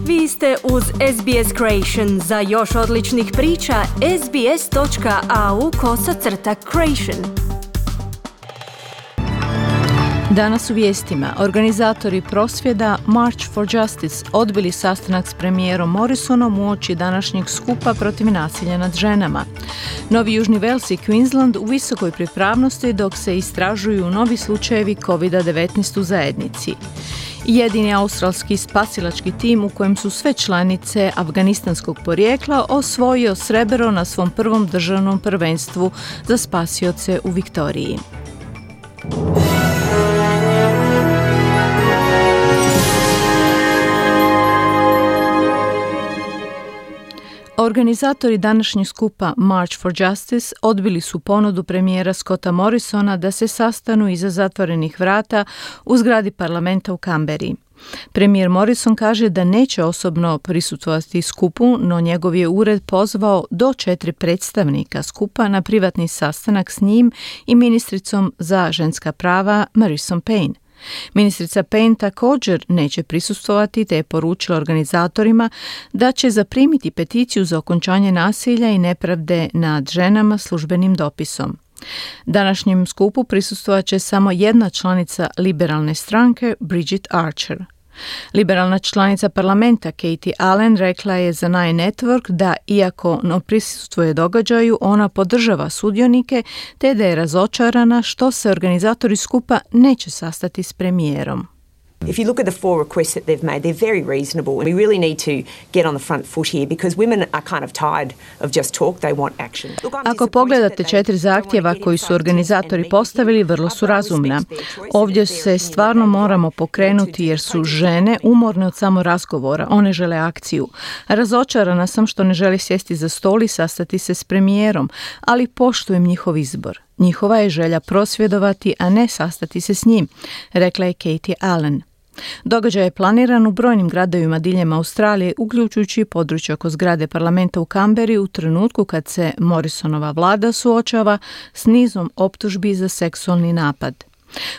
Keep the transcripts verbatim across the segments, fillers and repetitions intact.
Vi ste uz S B S Creation. Za još odličnih priča, sbs.au kosacrta creation. Danas u vijestima. Organizatori prosvjeda March for Justice odbili sastanak s premijerom Morrisonom uoči današnjeg skupa protiv nasilja nad ženama. Novi Južni Wales i Queensland u visokoj pripravnosti dok se istražuju novi slučajevi kovid devetnaest u zajednici. Jedini australski spasilački tim u kojem su sve članice afganistanskog porijekla osvojio srebro na svom prvom državnom prvenstvu za spasioce u Viktoriji. Organizatori današnjeg skupa March for Justice odbili su ponudu premijera Scotta Morrisona da se sastanu iza zatvorenih vrata u zgradi parlamenta u Canberri. Premijer Morrison kaže da neće osobno prisustvovati skupu, no njegov je ured pozvao do četiri predstavnika skupa na privatni sastanak s njim i ministricom za ženska prava Marison Payne. Ministrica Payne također neće prisustvovati te je poručila organizatorima da će zaprimiti peticiju za okončanje nasilja i nepravde nad ženama službenim dopisom. Današnjem skupu prisustvovat će samo jedna članica liberalne stranke, Bridget Archer. Liberalna članica parlamenta Katie Allen rekla je za Nine Network da iako ne prisustvuje događaju, ona podržava sudionike te da je razočarana što se organizatori skupa neće sastati s premijerom. If you look at the four requests that they've made, they're very reasonable. We really need to get on the front foot here because women are kind of tired of just talk, they want action. Ako pogledate četiri zahtjeva koji su organizatori postavili, vrlo su razumna. Ovdje se stvarno moramo pokrenuti jer su žene umorne od samo razgovora, one žele akciju. Razočarana sam što ne žele sjesti za stol i sastati se s premijerom, ali poštujem njihov izbor. Njihova je želja prosvjedovati, a ne sastati se s njim, rekla je Katie Allen. Događaj je planiran u brojnim gradovima diljem Australije, uključujući područje oko zgrade parlamenta u Canberri u trenutku kad se Morrisonova vlada suočava s nizom optužbi za seksualni napad.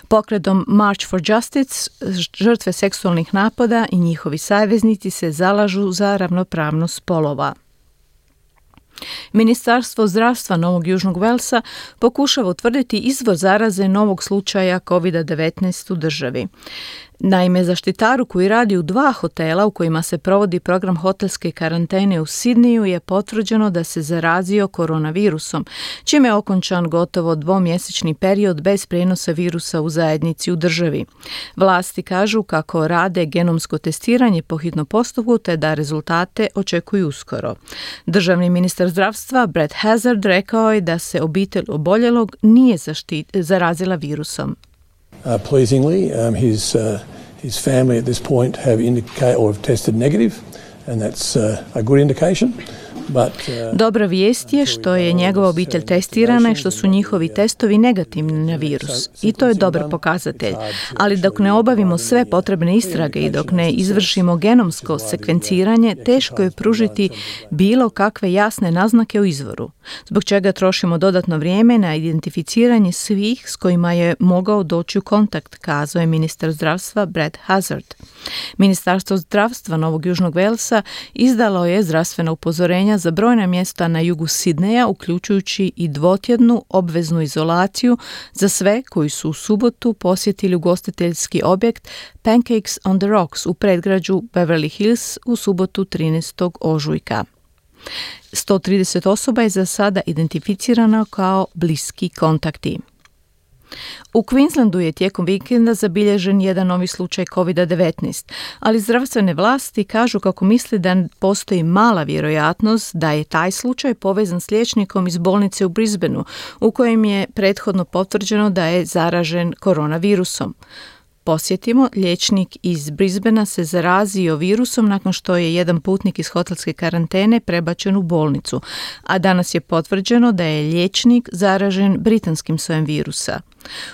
Pokretom March for Justice žrtve seksualnih napada i njihovi saveznici se zalažu za ravnopravnost spolova. Ministarstvo zdravstva Novog Južnog Walesa pokušava utvrditi izvor zaraze novog slučaja kovid devetnaest u državi. Naime, zaštitaru koji radi u dva hotela u kojima se provodi program hotelske karantene u Sidneju je potvrđeno da se zarazio koronavirusom, čime je okončan gotovo dvomjesečni period bez prijenosa virusa u zajednici u državi. Vlasti kažu kako rade genomsko testiranje po hitnom postupku te da rezultate očekuju uskoro. Državni ministar zdravstva Brett Hazzard rekao je da se obitelj oboljelog nije zaštit, zarazila virusom. Uh, pleasingly, um, his, uh, his family at this point have indicated or have tested negative, and that's uh, a good indication. But, uh, Dobra vijest je što je njegova obitelj testirana i što su njihovi testovi negativni na virus. I to je dobar pokazatelj. Ali dok ne obavimo sve potrebne istrage i dok ne izvršimo genomsko sekvenciranje, teško je pružiti bilo kakve jasne naznake o izvoru. Zbog čega trošimo dodatno vrijeme na identificiranje svih s kojima je mogao doći u kontakt, kazao je ministar zdravstva Brett Hazzard. Ministarstvo zdravstva Novog Južnog Walesa izdalo je zdravstvena upozorenja za brojna mjesta na jugu Sidneja, uključujući i dvotjednu obveznu izolaciju za sve koji su u subotu posjetili ugostiteljski objekt Pancakes on the Rocks u predgrađu Beverly Hills u subotu trinaestog ožujka. sto trideset osoba je za sada identificirano kao bliski kontakti. U Queenslandu je tijekom vikenda zabilježen jedan novi slučaj kovid devetnaest, ali zdravstvene vlasti kažu kako misle da postoji mala vjerojatnost da je taj slučaj povezan s liječnikom iz bolnice u Brisbaneu, u kojem je prethodno potvrđeno da je zaražen koronavirusom. Posjetimo, liječnik iz Brisbanea se zarazio virusom nakon što je jedan putnik iz hotelske karantene prebačen u bolnicu, a danas je potvrđeno da je liječnik zaražen britanskim sojem virusa.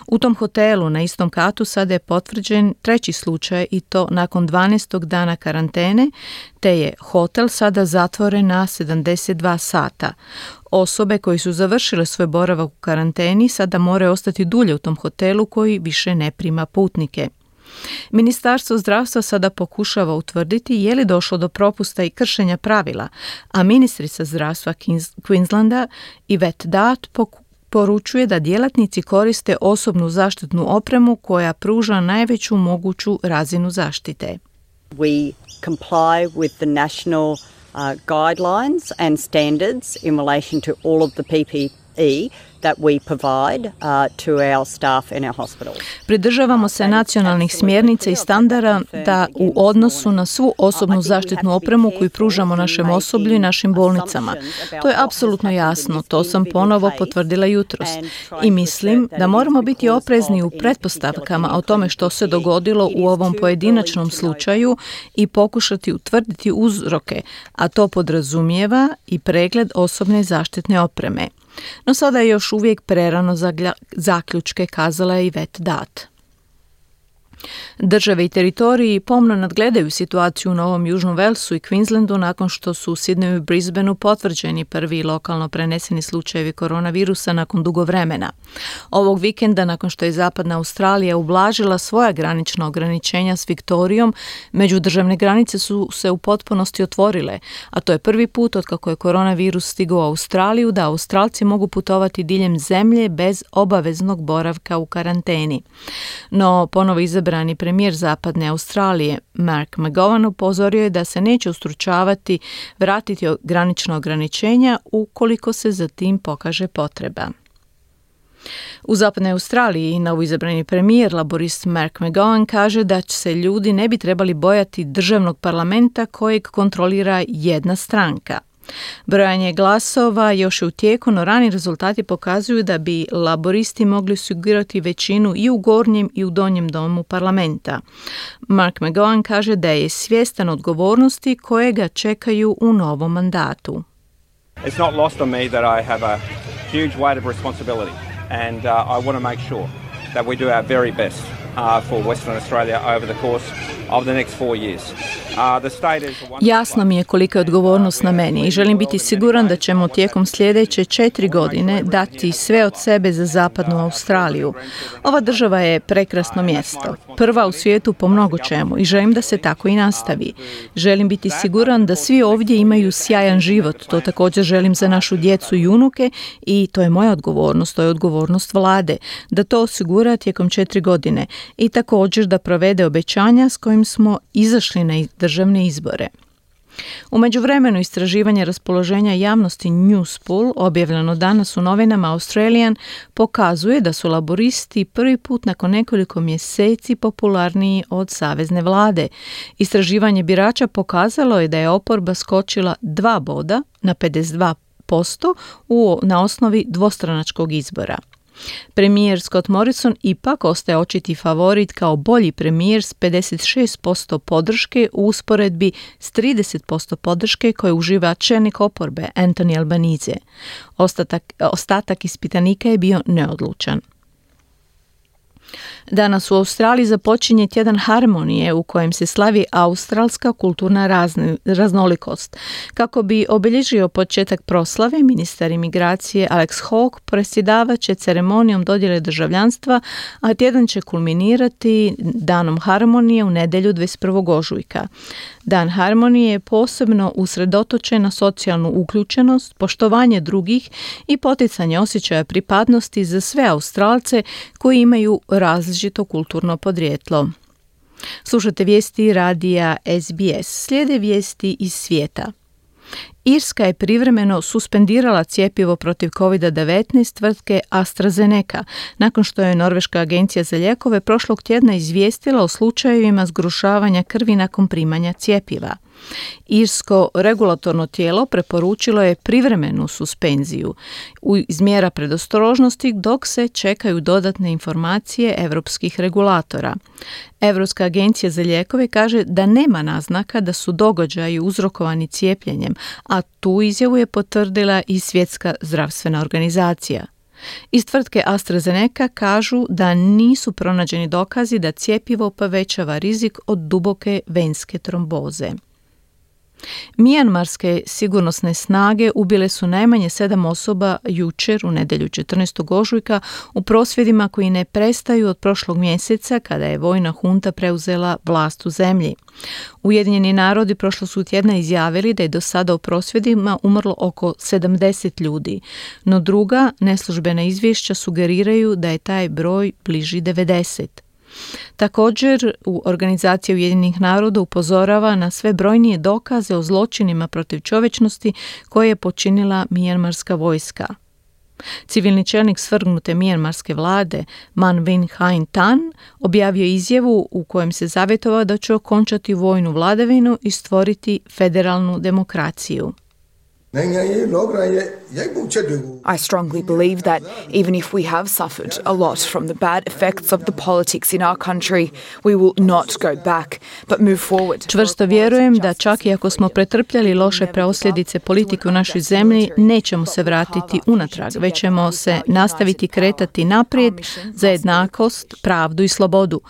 U tom hotelu na istom katu sada je potvrđen treći slučaj i to nakon dvanaestog dana karantene, te je hotel sada zatvoren na sedamdeset dva sata. Osobe koji su završile svoj boravak u karanteni sada moraju ostati dulje u tom hotelu koji više ne prima putnike. Ministarstvo zdravstva sada pokušava utvrditi je li došlo do propusta i kršenja pravila, a ministrica zdravstva Queenslanda Yvette Dart poručuje da djelatnici koriste osobnu zaštitnu opremu koja pruža najveću moguću razinu zaštite. We comply with the national uh, guidelines and standards in relation to all of the P P E that we provide uh, to our staff in our hospitals. Pridržavamo se nacionalnih smjernica i standarda da u odnosu na svu osobnu zaštitnu opremu koju pružamo našem osoblju i našim bolnicama. To je apsolutno jasno, to sam ponovo potvrdila jutros. I mislim da moramo biti oprezni u pretpostavkama o tome što se dogodilo u ovom pojedinačnom slučaju i pokušati utvrditi uzroke, a to podrazumijeva i pregled osobne zaštitne opreme. No sada je još uvijek prerano za zaključke, kazala je Yvette Dart. Države i teritoriji pomno nadgledaju situaciju u Novom Južnom Walesu i Queenslandu nakon što su u Sydneyu i Brisbaneu potvrđeni prvi lokalno preneseni slučajevi koronavirusa nakon dugo vremena. Ovog vikenda, nakon što je Zapadna Australija ublažila svoja granična ograničenja s Viktorijom, međudržavne granice su se u potpunosti otvorile, a to je prvi put otkako je koronavirus stigao u Australiju da Australci mogu putovati diljem zemlje bez obaveznog boravka u karanteni. No, ponovo izabrani premijer Zapadne Australije, Mark McGowan, upozorio je da se neće ustručavati vratiti granična ograničenja ukoliko se za tim pokaže potreba. U Zapadnoj Australiji novoizabrani premijer, laborist Mark McGowan, kaže da se ljudi ne bi trebali bojati državnog parlamenta kojeg kontrolira jedna stranka. Brojanje glasova još je u tijeku, no rani rezultati pokazuju da bi laboristi mogli osigurati većinu i u gornjem i u donjem domu parlamenta. Mark McGowan kaže da je svjestan odgovornosti koje ga čekaju u novom mandatu. It's not lost on me that I have a huge weight of responsibility and uh, I want to make sure that we do our very best uh, for Western Australia over the course of the next four years. Jasno mi je kolika je odgovornost na meni i želim biti siguran da ćemo tijekom sljedeće četiri godine dati sve od sebe za Zapadnu Australiju. Ova država je prekrasno mjesto, prva u svijetu po mnogo čemu i želim da se tako i nastavi. Želim biti siguran da svi ovdje imaju sjajan život, to također želim za našu djecu i unuke i to je moja odgovornost, to je odgovornost vlade, da to osigura tijekom četiri godine i također da provede obećanja s kojim smo izašli na državne izbore. U međuvremenu istraživanje raspoloženja javnosti Newspool, objavljeno danas u novinama Australian, pokazuje da su laboristi prvi put nakon nekoliko mjeseci popularniji od savezne vlade. Istraživanje birača pokazalo je da je oporba skočila dva boda na pedeset dva posto u, na osnovi dvostranačkog izbora. Premijer Scott Morrison ipak ostaje očiti favorit kao bolji premijer s pedeset šest posto podrške u usporedbi s trideset posto podrške koje uživa čelnik oporbe Anthony Albanese. Ostatak, ostatak ispitanika je bio neodlučan. Danas u Australiji započinje tjedan harmonije u kojem se slavi australska kulturna razni, raznolikost. Kako bi obilježio početak proslave, ministar imigracije Alex Hawke predsjedavat će ceremonijom dodjele državljanstva, a tjedan će kulminirati danom harmonije u nedjelju dvadeset prvog ožujka. Dan harmonije je posebno usredotočen na socijalnu uključenost, poštovanje drugih i poticanje osjećaja pripadnosti za sve Australce koji imaju različito kulturno podrijetlo. Slušate vijesti radija S B S. Slijede vijesti iz svijeta. Irska je privremeno suspendirala cjepivo protiv kovid devetnaest tvrtke AstraZeneca, nakon što je Norveška agencija za lijekove prošlog tjedna izvijestila o slučajevima zgrušavanja krvi nakon primanja cjepiva. Irsko regulatorno tijelo preporučilo je privremenu suspenziju iz mjera predostrožnosti dok se čekaju dodatne informacije europskih regulatora. Europska agencija za lijekove kaže da nema naznaka da su događaji uzrokovani cijepljenjem, a tu izjavu je potvrdila i Svjetska zdravstvena organizacija. Iz tvrtke AstraZeneca kažu da nisu pronađeni dokazi da cjepivo povećava rizik od duboke venske tromboze. Mijanmarske sigurnosne snage ubile su najmanje sedam osoba jučer u nedjelju četrnaestog ožujka u prosvjedima koji ne prestaju od prošlog mjeseca kada je vojna hunta preuzela vlast u zemlji. Ujedinjeni narodi prošlog su tjedna izjavili da je do sada u prosvjedima umrlo oko sedamdeset ljudi, no druga neslužbena izvješća sugeriraju da je taj broj bliži devedeset. Također, u Organizaciji Ujedinjenih naroda upozorava na sve brojnije dokaze o zločinima protiv čovječnosti koje je počinila mijanmarska vojska. Civilni čelnik svrgnute mijanmarske vlade Man Win Hain Tan objavio izjavu u kojem se zavjetovao da će okončati vojnu vladavinu i stvoriti federalnu demokraciju. I strongly believe that even if we have suffered a lot from the bad effects of the politics in our country, we will not go back, but move forward. Čvrsto vjerujem da čak i ako smo pretrpjeli loše posljedice politike u našoj zemlji, nećemo se vratiti unatrag, već ćemo se nastaviti kretati naprijed za jednakost, pravdu i slobodu.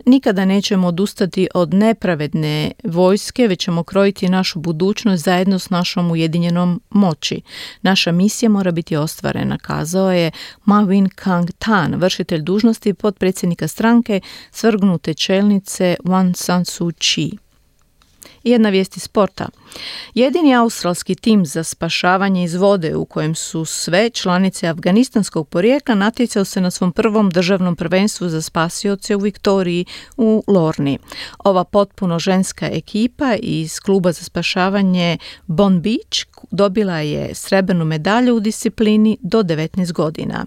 Nikada nećemo odustati od nepravedne vojske, već ćemo krojiti našu budućnost zajedno s našom ujedinjenom moći. Naša misija mora biti ostvarena, kazao je Ma Win Kang Tan, vršitelj dužnosti potpredsjednika stranke svrgnute čelnice Aung San Suu Kyi. Jedna vijest iz sporta. Jedini australski tim za spašavanje iz vode u kojem su sve članice afganistanskog porijekla natjecao se na svom prvom državnom prvenstvu za spasioce u Viktoriji u Lorni. Ova potpuno ženska ekipa iz kluba za spašavanje Bon Beach dobila je srebrnu medalju u disciplini do devetnaest godina.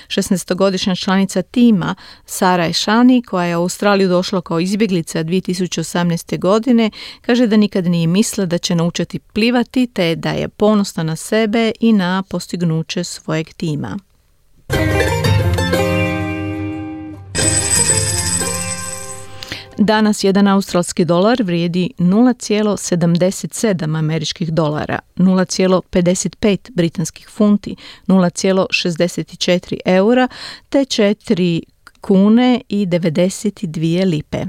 šesnaestogodišnja članica tima Sara Eshani, koja je u Australiju došla kao izbjeglica dvije tisuće osamnaeste. godine, kaže da nikad nije mislila da će naučiti plivati te da je ponosna na sebe i na postignuće svojeg tima. Danas jedan australski dolar vrijedi nula zarez sedamdeset sedam američkih dolara, nula zarez pedeset pet britanskih funti, nula zarez šezdeset četiri eura te četiri kune i devedeset dvije lipe.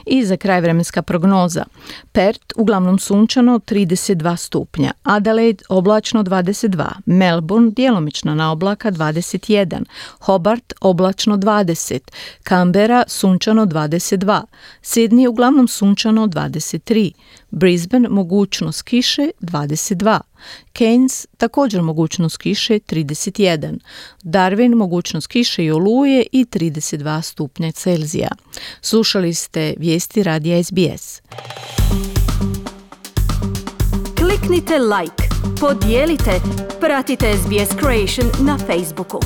I za kraj vremenska prognoza. Perth uglavnom sunčano trideset dva stupnja, Adelaide oblačno dvadeset dva, Melbourne djelomično na oblaka dvadeset jedan, Hobart oblačno dvadeset, Canberra sunčano dvadeset dva, Sydney uglavnom sunčano dvadeset tri, Brisbane mogućnost kiše dvadeset dva, Cairns također mogućnost kiše trideset jedan, Darwin mogućnost kiše i oluje i trideset dva stupnja Celzija. Slušali ste vijesti radija S B S. Kliknite like, podijelite, pratite S B S Creation na Facebooku.